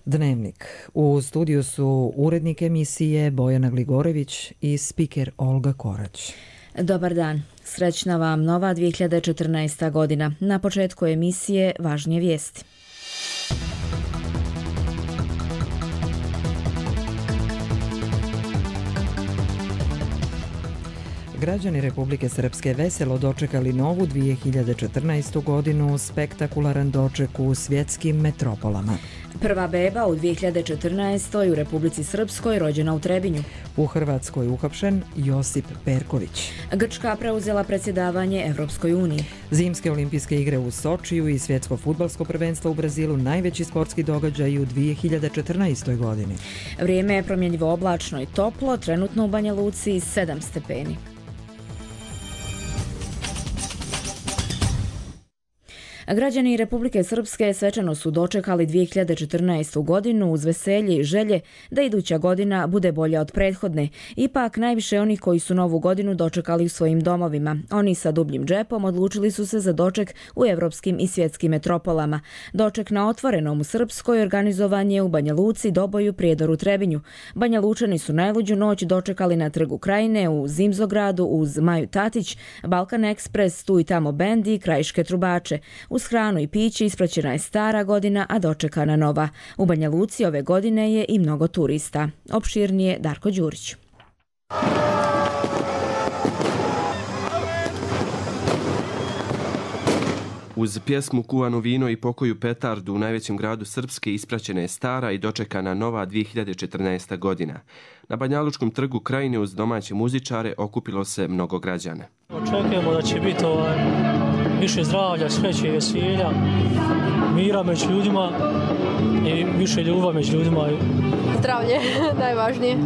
Dnevnik. U studiju su urednik emisije Bojana Gligorević i spiker Olga Korać. Dobar dan. Srećna vam nova 2014. godina. Na početku emisije važnije vijesti. Građani Republike Srpske veselo dočekali novu 2014. godinu, spektakularan doček u svjetskim metropolama. Prva beba u 2014. u Republici Srpskoj rođena u Trebinju. U Hrvatskoj uhapšen Josip Perković. Grčka preuzela predsjedavanje Evropskoj uniji. Zimske olimpijske igre u Sočiju i svjetsko fudbalsko prvenstvo u Brazilu najveći sportski događaj u 2014. godini. Vrijeme je promjenjivo oblačno i toplo, trenutno u Banja Luci 7 stepeni. Građani Republike Srpske svečano su dočekali 2014. godinu uz veselje i želje da iduća godina bude bolja od prethodne. Ipak najviše onih koji su novu godinu dočekali u svojim domovima. Oni sa dubljim džepom odlučili su se za doček u evropskim i svjetskim metropolama. Doček na otvorenom u Srpskoj organizovan je u Banja Luci, Doboju, Prijedoru, Trebinju. Banja Lučani su najluđu noć dočekali na Trgu Krajine, u Zimzogradu uz Maju Tatić, Balkan Ekspres, tu i tamo bendi i krajiške trubače. Uz hranu i piće ispraćena je stara godina, a dočekana nova. U Banja Luci ove godine je i mnogo turista. Opširnije Darko Đurić. Uz pjesmu Kuvano vino i pokoju petardu u najvećem gradu Srpske ispraćena je stara i dočekana nova 2014. godina. Na Banjalučkom trgu Krajine uz domaće muzičare okupilo se mnogo građana. Očekujemo da će biti više zdravlja, sreće i veselja, mira među ljudima i više ljubavi među ljudima. Zdravlje, najvažnije.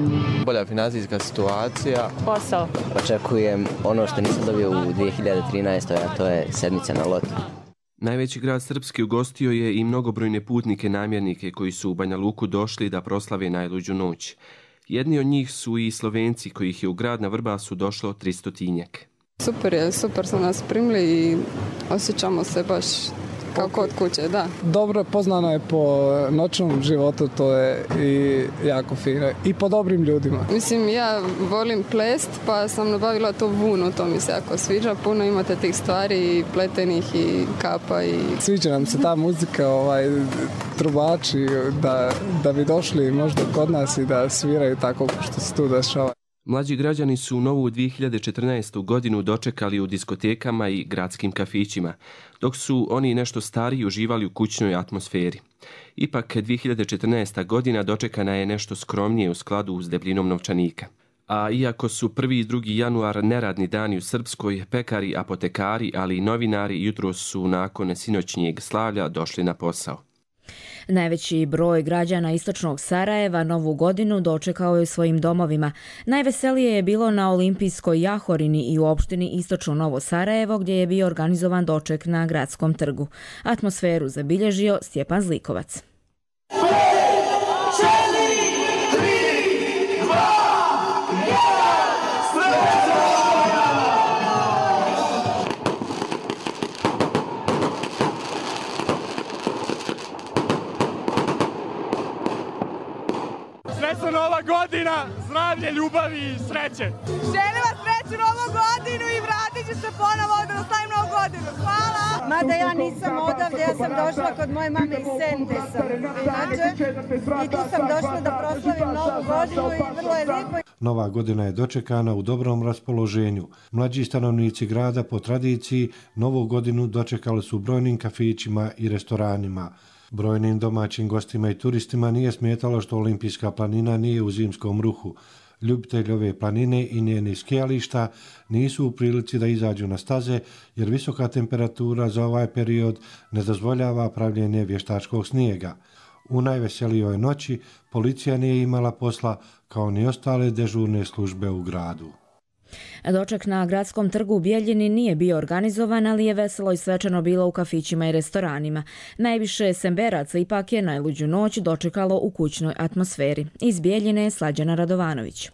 Bolja financijska situacija. Posao. Očekujem ono što nisam dobio u 2013. a to je sedmica na lotu. Najveći grad Srpski ugostio je i mnogobrojne putnike namjernike koji su u Banja Luku došli da proslave najluđu noć. Jedni od njih su i Slovenci kojih je u grad na Vrbasu došlo 300-tinjak. Super su nas primili i osjećamo se baš kao kod kuće, da. Dobro poznano je po noćnom životu, to je i jako fino. I po dobrim ljudima. Mislim, ja volim plest, pa sam nabavila to vunu, to mi se jako sviđa. Puno imate tih stvari i pletenih i kapa i... Sviđa nam se ta muzika, trubači, da bi došli možda kod nas i da sviraju tako što se tu dešava. Mlađi građani su novu 2014. godinu dočekali u diskotekama i gradskim kafićima, dok su oni nešto stariji uživali u kućnoj atmosferi. Ipak 2014. godina dočekana je nešto skromnije u skladu s debljinom novčanika. A iako su 1. i 2. januar neradni dani u Srpskoj, pekari, apotekari, ali i novinari jutros su nakon sinoćnjeg slavlja došli na posao. Najveći broj građana istočnog Sarajeva novu godinu dočekao je u svojim domovima. Najveselije je bilo na Olimpijskoj jahorini i u opštini Istočno Novo Sarajevo gdje je bio organizovan doček na gradskom trgu. Atmosferu zabilježio Stjepan Zlikovac. Srećna nova godina, zdravlje, ljubavi i sreće. Želim vas srećnu novu godinu i vratit ću se ponovo da slavim novu godinu. Hvala! Mada ja nisam odavde, ja sam došla kod moje mame iz Sente sam. Inače, i tu sam došla da proslavim novu godinu i vrlo je lijepo. Nova godina je dočekana u dobrom raspoloženju. Mlađi stanovnici grada po tradiciji novu godinu dočekali su u brojnim kafićima i restoranima. Brojnim domaćim gostima i turistima nije smetalo što Olimpijska planina nije u zimskom ruhu. Ljubitelji ove planine i njenih skijališta nisu u prilici da izađu na staze jer visoka temperatura za ovaj period ne dozvoljava pravljenje vještačkog snijega. U najveselijoj noći policija nije imala posla kao ni ostale dežurne službe u gradu. Doček na gradskom trgu u Bijeljini nije bio organizovan, ali je veselo i svečano bilo u kafićima i restoranima. Najviše Semberaca ipak je najluđu noć dočekalo u kućnoj atmosferi. Iz Bijeljine je Slađana Radovanović.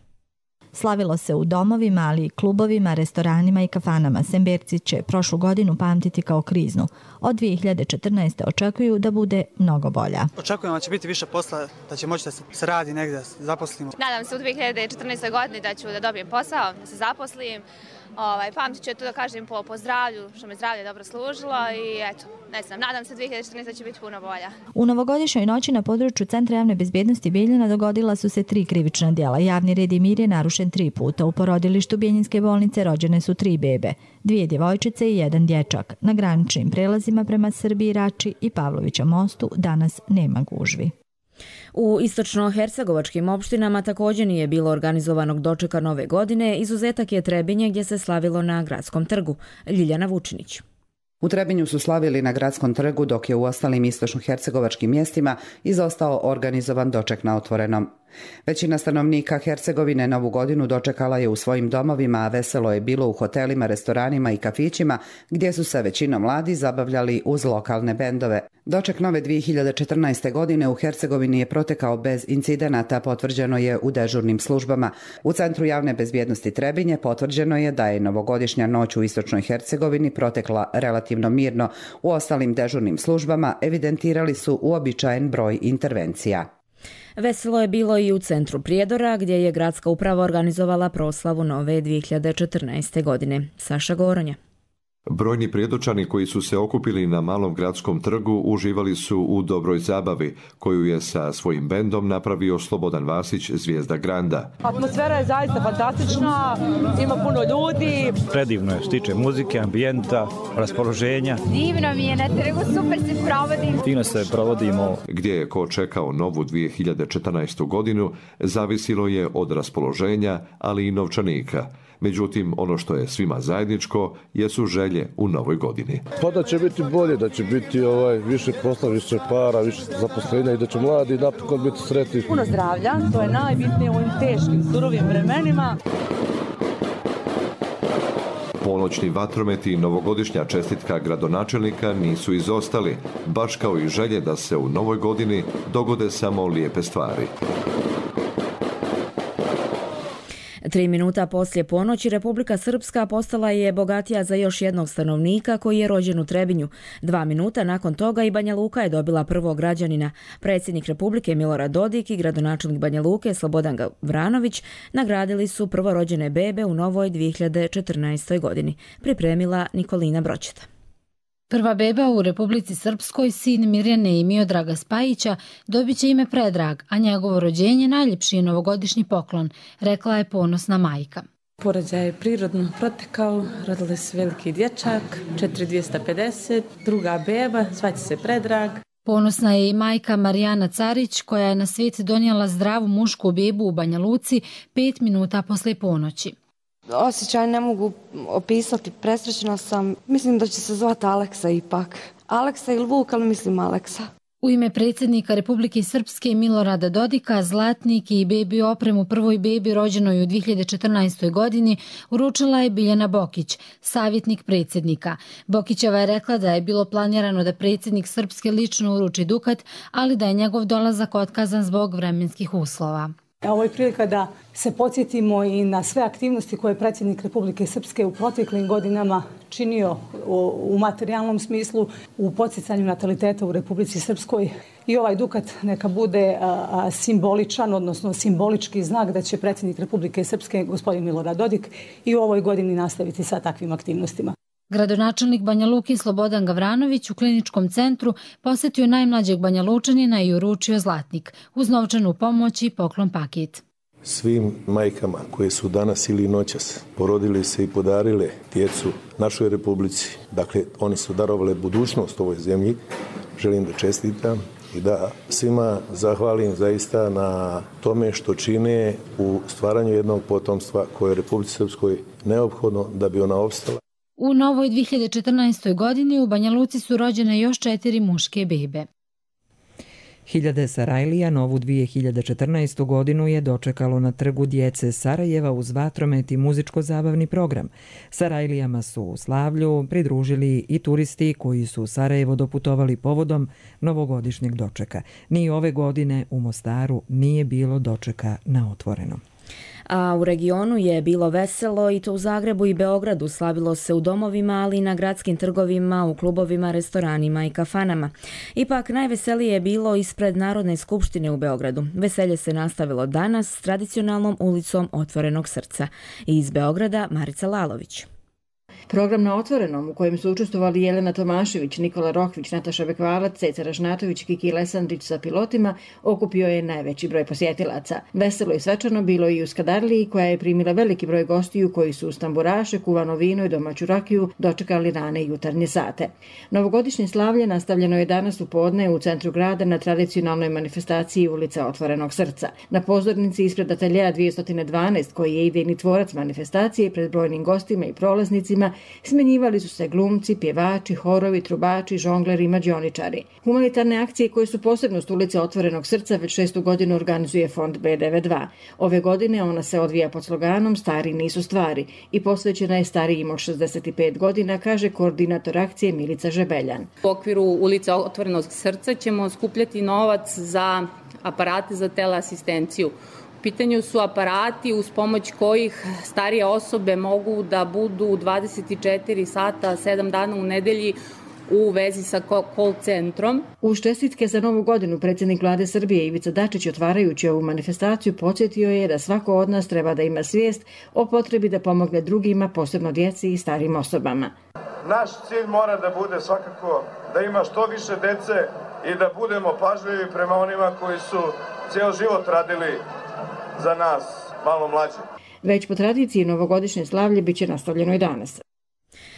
Slavilo se u domovima, ali i klubovima, restoranima i kafanama. Semberci će prošlu godinu pamtiti kao kriznu. Od 2014. očekuju da bude mnogo bolja. Očekujemo da će biti više posla, da će moći da se radi negdje, zaposlimo. Nadam se u 2014. godini da ću da dobijem posao, da se zaposlim. Pamtit ću to da kažem po zdravlju, što me zdravlje dobro služilo i eto, ne znam, nadam se 2014. će biti puno bolja. U novogodišnjoj noći na području Centra javne bezbjednosti Bijeljina dogodila su se 3 krivična djela. Javni red i mir je narušen 3 puta. U porodilištu Bijeljinske bolnice rođene su 3 bebe, 2 djevojčice i 1 dječak. Na graničnim prelazima prema Srbiji, Rači i Pavlovića mostu danas nema gužvi. U istočno-hercegovačkim opštinama također nije bilo organizovanog dočeka nove godine, izuzetak je Trebinje gdje se slavilo na Gradskom trgu. Ljiljana Vučinić. U Trebinju su slavili na Gradskom trgu, dok je u ostalim istočno-hercegovačkim mjestima izostao organizovan doček na otvorenom. Većina stanovnika Hercegovine Novu godinu dočekala je u svojim domovima, a veselo je bilo u hotelima, restoranima i kafićima, gdje su se većinom mladi zabavljali uz lokalne bendove. Doček nove 2014. godine u Hercegovini je protekao bez incidenata, potvrđeno je u dežurnim službama. U Centru javne bezbjednosti Trebinje potvrđeno je da je novogodišnja noć u istočnoj Hercegovini protekla relativno mirno. U ostalim dežurnim službama evidentirali su uobičajen broj intervencija. Veselo je bilo i u centru Prijedora, gdje je gradska uprava organizovala proslavu nove 2014. godine. Saša Goronja. Brojni prijedočani koji su se okupili na Malom gradskom trgu uživali su u dobroj zabavi, koju je sa svojim bendom napravio Slobodan Vasić, zvijezda Granda. Atmosfera je zaista fantastična, ima puno ljudi. Predivno je, što tiče muzike, ambijenta, raspoloženja. Divno mi je na trgu, super se provodim. Fino se provodimo. Gdje je ko čekao novu 2014. godinu, zavisilo je od raspoloženja, ali i novčanika. Međutim, ono što je svima zajedničko jesu želje u novoj godini. Pa da će biti bolje, da će biti više posla, više para, više zaposlenja i da će mladi napokon biti sretni. Puno zdravlja, to je najbitnije u ovim teškim, surovim vremenima. Ponoćni vatrometi i novogodišnja čestitka gradonačelnika nisu izostali, baš kao i želje da se u novoj godini dogode samo lijepe stvari. 3 minuta poslije ponoći Republika Srpska postala je bogatija za još jednog stanovnika koji je rođen u Trebinju. 2 minuta nakon toga i Banja Luka je dobila prvog građanina. Predsjednik Republike Milorad Dodik i gradonačelnik Banja Luke Slobodan Gavranović nagradili su prvorođene bebe u novoj 2014. godini. Pripremila Nikolina Bročeta. Prva beba u Republici Srpskoj, sin Mirjane i Miodraga Spajića, dobit će ime Predrag, a njegovo rođenje najljepši je novogodišnji poklon, rekla je ponosna majka. Porođaj je prirodno protekao, rodili se veliki dječak, 4250, druga beba, zvaće se Predrag. Ponosna je i majka Marijana Carić, koja je na svijet donijela zdravu mušku bebu u Banja Luci 5 minuta poslije ponoći. Osjećaj ne mogu opisati, presrećna sam. Mislim da će se zvati Aleksa ipak. Aleksa ili Vuk, ali mislim Aleksa. U ime predsjednika Republike Srpske Milorada Dodika, zlatnik i bebi opremu prvoj bebi rođenoj u 2014. godini uručila je Biljana Bokić, savjetnik predsjednika. Bokićeva je rekla da je bilo planirano da predsjednik Srpske lično uruči dukat, ali da je njegov dolazak otkazan zbog vremenskih uslova. Ovo je prilika da se podsjetimo i na sve aktivnosti koje je predsjednik Republike Srpske u proteklim godinama činio u materijalnom smislu, u podsjecanju nataliteta u Republici Srpskoj. I ovaj dukat neka bude simboličan, odnosno simbolički znak da će predsjednik Republike Srpske, gospodin Milorad Dodik, i u ovoj godini nastaviti sa takvim aktivnostima. Gradonačelnik Banja Luke Slobodan Gavranović u kliničkom centru posjetio najmlađeg Banja Lučanina i uručio zlatnik uz novčanu pomoć i poklon paket. Svim majkama koje su danas ili noćas porodili se i podarile djecu našoj Republici, dakle oni su darovali budućnost ovoj zemlji, želim da čestitam i da svima zahvalim zaista na tome što čine u stvaranju jednog potomstva koje je Republici Srpskoj neophodno da bi ona opstala. U novoj 2014. godini u Banja Luci su rođene još 4 muške bebe. Hiljade Sarajlija novu 2014. godinu je dočekalo na trgu djece Sarajeva uz vatromet i muzičko-zabavni program. Sarajlijama su u slavlju pridružili i turisti koji su u Sarajevo doputovali povodom novogodišnjeg dočeka. Ni ove godine u Mostaru nije bilo dočeka na otvorenom. A u regionu je bilo veselo i to u Zagrebu i Beogradu. Slavilo se u domovima, ali i na gradskim trgovima, u klubovima, restoranima i kafanama. Ipak najveselije je bilo ispred Narodne skupštine u Beogradu. Veselje se nastavilo danas s tradicionalnom ulicom Otvorenog srca. Iz Beograda Marica Lalović. Program na Otvorenom, u kojem su učestvovali Jelena Tomašević, Nikola Rohvić, Nataša Bekvalac, Ceca Ražnatović, Kiki Lesandrić sa pilotima, okupio je najveći broj posjetilaca. Veselo i svečano bilo i u Skadarliji, koja je primila veliki broj gostiju koji su uz tamburaše, kuvano vino i domaću rakiju dočekali rane jutarnje sate. Novogodišnje slavlje nastavljeno je danas u podne u centru grada na tradicionalnoj manifestaciji ulica Otvorenog srca. Na pozornici ispred ateljeja 212, koji je idejni tvorac manifestacije, pred brojnim gostima i prolaznicima smenjivali su se glumci, pjevači, horovi, trubači, žongleri i mađioničari. Humanitarne akcije koje su posebnost ulice Otvorenog srca već 6. godinu organizuje fond B92. Ove godine ona se odvija pod sloganom Stari nisu stvari i posvećena je starijim od 65 godina, kaže koordinator akcije Milica Žebeljan. U okviru ulice Otvorenog srca ćemo skupljati novac za aparate za teleasistenciju. U pitanju su aparati uz pomoć kojih starije osobe mogu da budu 24 sata, 7 dana u nedelji u vezi sa call centrom. Uz čestitke za Novu godinu predsjednik Vlade Srbije Ivica Dačić, otvarajući ovu manifestaciju, podsjetio je da svako od nas treba da ima svijest o potrebi da pomogne drugima, posebno djeci i starim osobama. Naš cilj mora da bude svakako da ima što više dece i da budemo pažljivi prema onima koji su cijel život radili za nas, malo mlađi. Već po tradiciji novogodišnje slavlje biće nastavljeno i danas.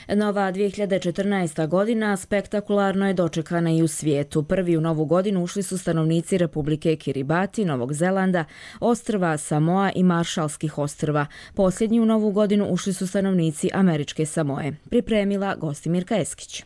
Nova 2014. godina spektakularno je dočekana i u svijetu. Prvi u novu godinu ušli su stanovnici Republike Kiribati, Novog Zelanda, ostrva Samoa i Maršalskih ostrva. Posljednji u novu godinu ušli su stanovnici Američke Samoe. Pripremila Gostimirka Eskić.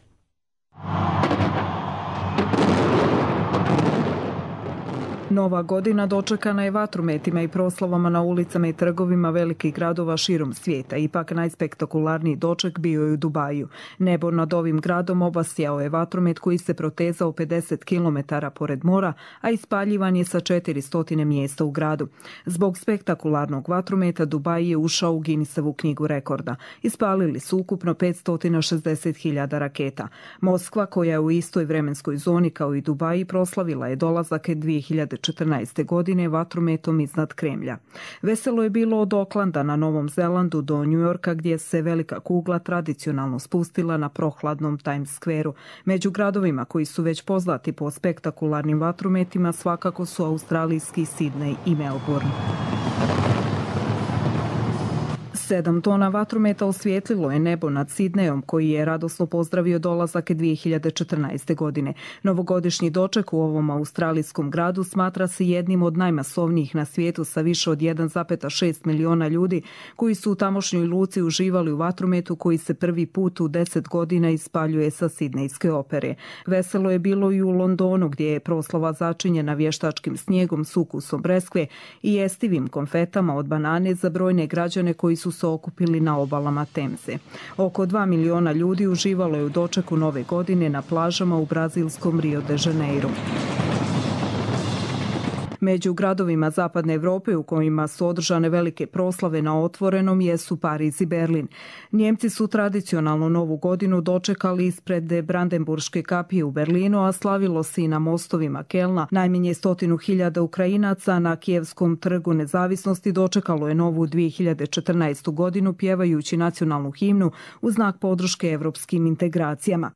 Nova godina dočekana je vatrometima i proslavama na ulicama i trgovima velikih gradova širom svijeta. Ipak najspektakularniji doček bio je u Dubaju. Nebo nad ovim gradom obasjao je vatromet koji se protezao 50 km pored mora, a ispaljivan je sa 400 mjesta u gradu. Zbog spektakularnog vatrometa Dubai je ušao u Guinnessovu knjigu rekorda. Ispalili su ukupno 560.000 raketa. Moskva, koja je u istoj vremenskoj zoni kao i Dubai, proslavila je dolazak 2014. godine vatrometom iznad Kremlja. Veselo je bilo od Oklanda na Novom Zelandu do Njujorka, gdje se velika kugla tradicionalno spustila na prohladnom Times Square-u. Među gradovima koji su već poznati po spektakularnim vatrometima svakako su australijski Sydney i Melbourne. 7 tona vatrometa osvijetlilo je nebo nad Sidnejom, koji je radosno pozdravio dolazak 2014. godine. Novogodišnji doček u ovom australijskom gradu smatra se jednim od najmasovnijih na svijetu sa više od 1,6 miliona ljudi koji su u tamošnjoj luci uživali u vatrometu koji se prvi put u 10 godina ispaljuje sa Sidnejske opere. Veselo je bilo i u Londonu, gdje je proslava začinjena vještačkim snijegom s ukusom breskve i jestivim konfetama od banane za brojne građane koji su se okupili na obalama Temze. Oko 2 miliona ljudi uživalo je u dočeku nove godine na plažama u brazilskom Rio de Janeiro. Među gradovima Zapadne Evrope u kojima su održane velike proslave na Otvorenom jesu Pariz i Berlin. Njemci su tradicionalno Novu godinu dočekali ispred Brandenburške kapije u Berlinu, a slavilo se i na mostovima Kelna. Najmanje 100.000 Ukrajinaca na Kijevskom trgu nezavisnosti dočekalo je novu 2014. godinu pjevajući nacionalnu himnu u znak podrške evropskim integracijama.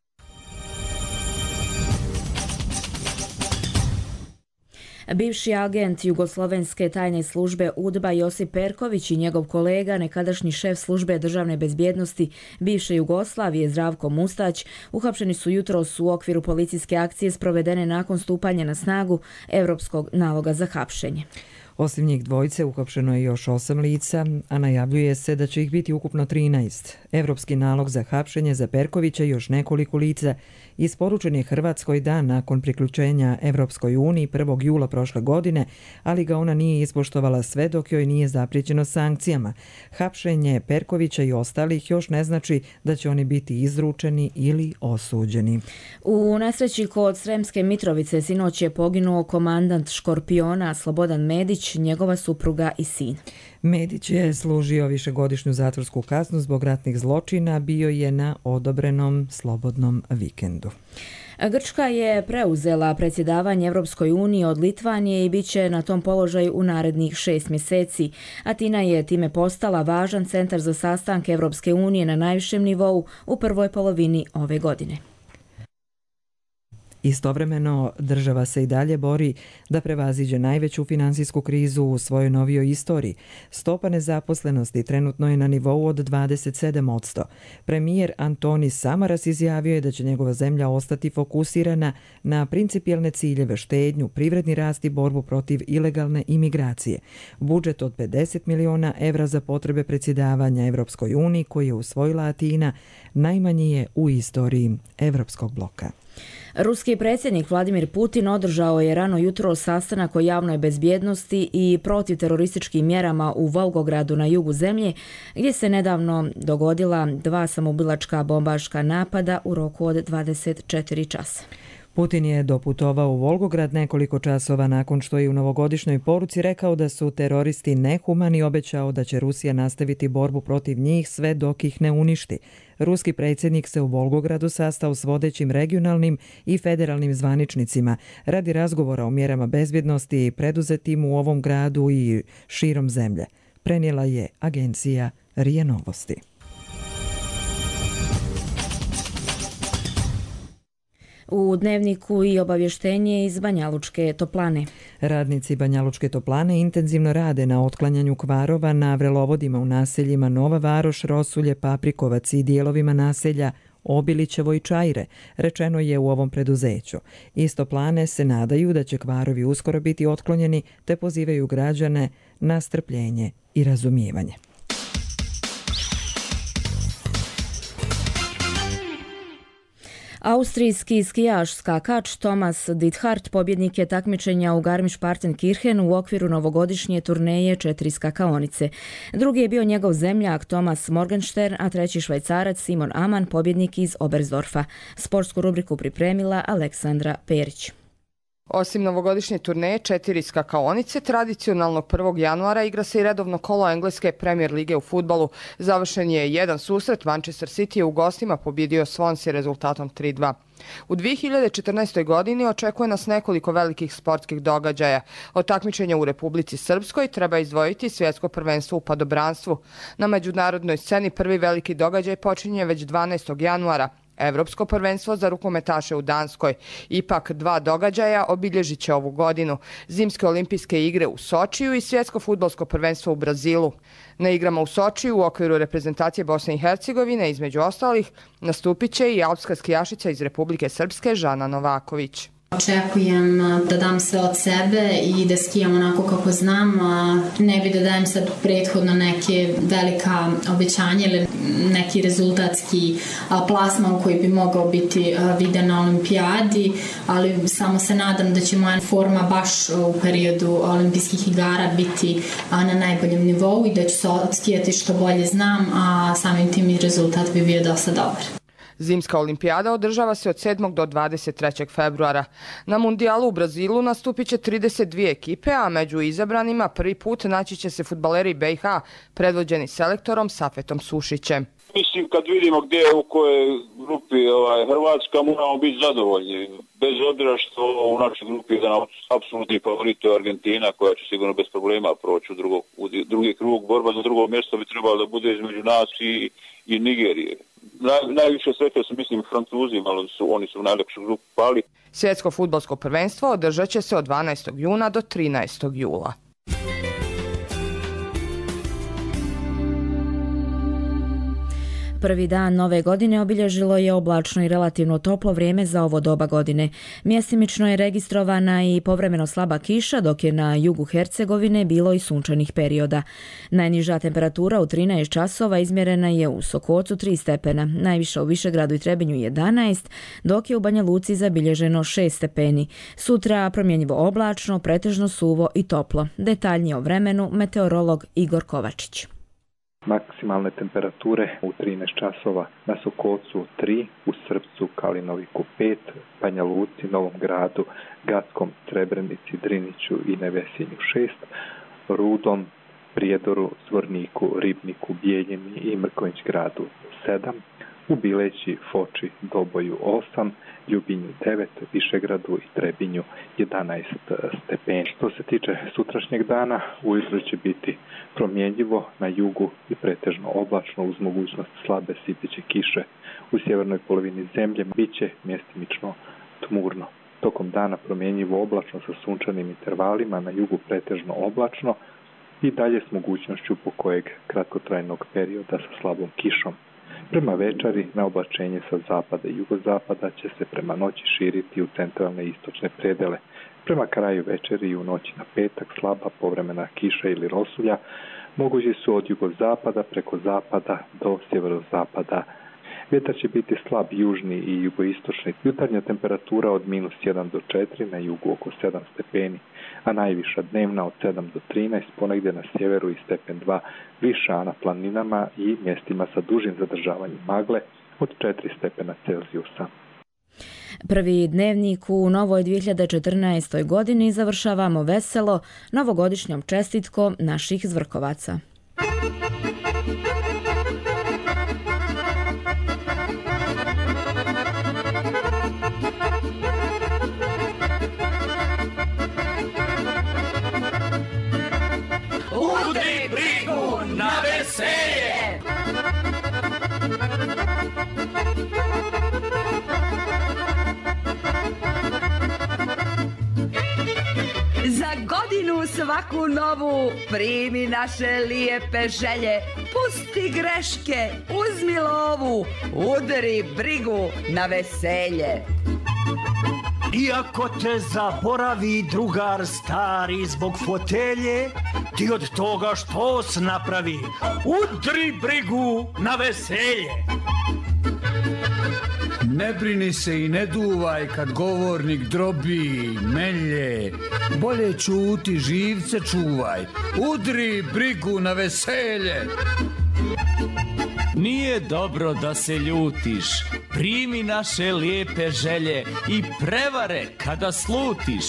Bivši agent Jugoslovenske tajne službe UDBA Josip Perković i njegov kolega, nekadašnji šef službe državne bezbjednosti bivše Jugoslavije Zdravko Mustać, uhapšeni su jutros u okviru policijske akcije sprovedene nakon stupanja na snagu Europskog naloga za hapšenje. Osim njih dvojice uhapšeno je još 8 lica, a najavljuje se da će ih biti ukupno 13. Evropski nalog za hapšenje za Perkovića i još nekoliko lica isporučen je Hrvatskoj dan nakon priključenja Evropskoj uniji 1. jula prošle godine, ali ga ona nije ispoštovala sve dok joj nije zapriječeno sankcijama. Hapšenje Perkovića i ostalih još ne znači da će oni biti izručeni ili osuđeni. U nesreći kod Sremske Mitrovice sinoć je poginuo komandant Škorpiona Slobodan Medić, Medić, njegova supruga i sin. Medić je služio višegodišnju zatvorsku kaznu zbog ratnih zločina, bio je na odobrenom slobodnom vikendu. Grčka je preuzela predsjedavanje Evropskoj uniji od Litvanije i bit će na tom položaju u narednih 6 mjeseci. Atina je time postala važan centar za sastanke Evropske unije na najvišem nivou u prvoj polovini ove godine. Istovremeno, država se i dalje bori da prevaziđe najveću finansijsku krizu u svojoj novijoj istoriji. Stopa nezaposlenosti trenutno je na nivou od 27%. Premijer Antonis Samaras izjavio je da će njegova zemlja ostati fokusirana na principijelne ciljeve, štednju, privredni rast i borbu protiv ilegalne imigracije. Budžet od 50 miliona evra za potrebe predsjedavanja Evropskoj uniji koji je usvojila Atina najmanji je u istoriji Evropskog bloka. Ruski predsjednik Vladimir Putin održao je rano jutro sastanak o javnoj bezbjednosti i protivterorističkim mjerama u Volgogradu na jugu zemlje, gdje se nedavno dogodila 2 samoubilačka bombaška napada u roku od 24 časa. Putin je doputovao u Volgograd nekoliko časova nakon što je u novogodišnjoj poruci rekao da su teroristi nehumani i obećao da će Rusija nastaviti borbu protiv njih sve dok ih ne uništi. Ruski predsjednik se u Volgogradu sastao s vodećim regionalnim i federalnim zvaničnicima radi razgovora o mjerama bezbjednosti preduzetim u ovom gradu i širom zemlje. Prenijela je agencija RIA Novosti. U Dnevniku i obavještenje iz Banjalučke toplane. Radnici Banjalučke toplane intenzivno rade na otklanjanju kvarova na vrelovodima u naseljima Nova Varoš, Rosulje, Paprikovac i dijelovima naselja Obilićevo i Čajre, rečeno je u ovom preduzeću. Iz toplane se nadaju da će kvarovi uskoro biti otklonjeni, te pozivaju građane na strpljenje i razumijevanje. Austrijski skijaš skakač Thomas Dithart pobjednik je takmičenja u Garmisch-Partenkirchen u okviru novogodišnje turneje 4 skakaonice. Drugi je bio njegov zemljak Thomas Morgenstern, a treći Švajcarac Simon Amann, pobjednik iz Oberstdorfa. Sportsku rubriku pripremila Aleksandra Perić. Osim novogodišnje turneje 4 skakaonice, tradicionalnog 1. januara igra se i redovno kolo engleske Premier lige u fudbalu. Završen je jedan susret, Manchester City je u gostima pobjedio Swansea rezultatom 3-2. U 2014. godini očekuje nas nekoliko velikih sportskih događaja. Od takmičenja u Republici Srpskoj treba izdvojiti svjetsko prvenstvo u padobranstvu. Na međunarodnoj sceni prvi veliki događaj počinje već 12. januara. Evropsko prvenstvo za rukometaše u Danskoj. Ipak 2 događaja obilježit će ovu godinu. Zimske olimpijske igre u Sočiju i svjetsko fudbalsko prvenstvo u Brazilu. Na igrama u Sočiju u okviru reprezentacije Bosne i Hercegovine, između ostalih, nastupit će i alpska skijašica iz Republike Srpske Žana Novaković. Očekujem da dam sve od sebe i da skijam onako kako znam. Ne bi da dajem sad prethodno neke velika obećanja ili neki rezultatski plasman koji bi mogao biti viden na olimpijadi, ali samo se nadam da će moja forma baš u periodu olimpijskih igara biti na najboljem nivou i da ću se skijati što bolje znam, a samim tim i rezultat bi bio dosta dobar. Zimska olimpijada održava se od 7. do 23. februara. Na mundijalu u Brazilu nastupit će 32 ekipe, a među izabranima prvi put naći će se fudbaleri BiH, predvođeni selektorom Safetom Sušićem. Mislim, kad vidimo gdje u kojoj grupi Hrvatska, moramo biti zadovoljni. Bez obzira što u našoj grupi je jedan apsolutni favorit je Argentina, koja će sigurno bez problema proći u drugi krug. Borba za drugo mjesto bi trebala da bude između nas i Nigerije. Najviše sreće su, mislim, Francuzima, ali oni su u najlepšu grupu pali. Svjetsko fudbalsko prvenstvo održat će se od 12. juna do 13. jula. Prvi dan nove godine obilježilo je oblačno i relativno toplo vrijeme za ovo doba godine. Mjestimično je registrovana i povremeno slaba kiša, dok je na jugu Hercegovine bilo i sunčanih perioda. Najniža temperatura u 13 časova izmjerena je u Sokocu 3 stepena, najviša u Višegradu i Trebinju 11, dok je u Banja Luci zabilježeno 6 stepeni. Sutra promjenjivo oblačno, pretežno suvo i toplo. Detaljnije o vremenu meteorolog Igor Kovačić. Maksimalne temperature u 13 časova na Sokolcu 3, u Srpcu, Kalinoviku 5, Banja Luci, Novom Gradu, Gackom, Srebrenici, Driniću i Nevesinju 6, Rudom, Prijedoru, Zvorniku, Ribniku, Bijeljini i Mrkonjić gradu 7, u Bileći, Foči, Doboju 8, Ljubinju 9, Višegradu i Trebinju 11 stepeni. Što se tiče sutrašnjeg dana, ujutro će biti promjenjivo, na jugu i pretežno oblačno uz mogućnost slabe sipeće kiše. U sjevernoj polovini zemlje biće mjestimično tmurno. Tokom dana promjenjivo oblačno sa sunčanim intervalima, na jugu pretežno oblačno i dalje s mogućnošću po kojeg kratkotrajnog perioda sa slabom kišom. Prema večeri na oblačenje sa zapada i jugozapada će se prema noći širiti u centralne i istočne predele. Prema kraju večeri i u noći na petak slaba povremena kiša ili rosulja mogući su od jugozapada preko zapada do sjeverozapada. Vjetar će biti slab južni i jugoistočni. Jutarnja temperatura od -1 do 4, na jugu oko 7 stepeni, a najviša dnevna od 7 do 13, ponegdje na sjeveru i stepen 2 viša, a na planinama i mjestima sa dužim zadržavanjem magle od 4 stepena Celzijusa. Prvi dnevnik u novoj 2014. godini završavamo veselo novogodišnjom čestitkom naših Zvrkovaca. Udri brigu na veselje! Za godinu svaku novu primi naše lijepe želje. Pusti greške, uzmi lovu, udri brigu na veselje. Iako te zaboravi drugar stari zbog fotelje, ti od toga što s napravi, udri brigu na veselje. Ne brini se i ne duvaj kad govornik drobi, melje, bolje ćuti, živce čuvaj, udri brigu na veselje. Nije dobro da se ljutiš, primi naše lijepe želje i prevare kada slutiš,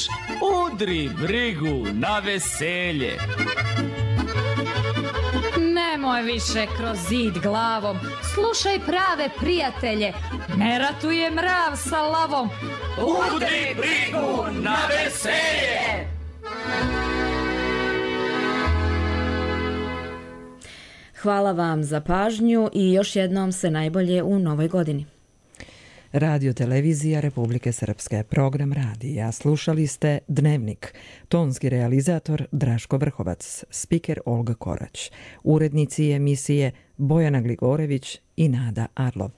udri brigu na veselje. Nemoj više kroz zid glavom, slušaj prave prijatelje, ne ratuje mrav sa lavom, udri brigu na veselje! Hvala vam za pažnju i još jednom sve najbolje u novoj godini. Radio Televizija Republike Srpske, program radija. Slušali ste Dnevnik. Tonski realizator Draško Vrhovac, spiker Olga Korać. Urednici emisije Bojana Gligorević i Nada Arlov.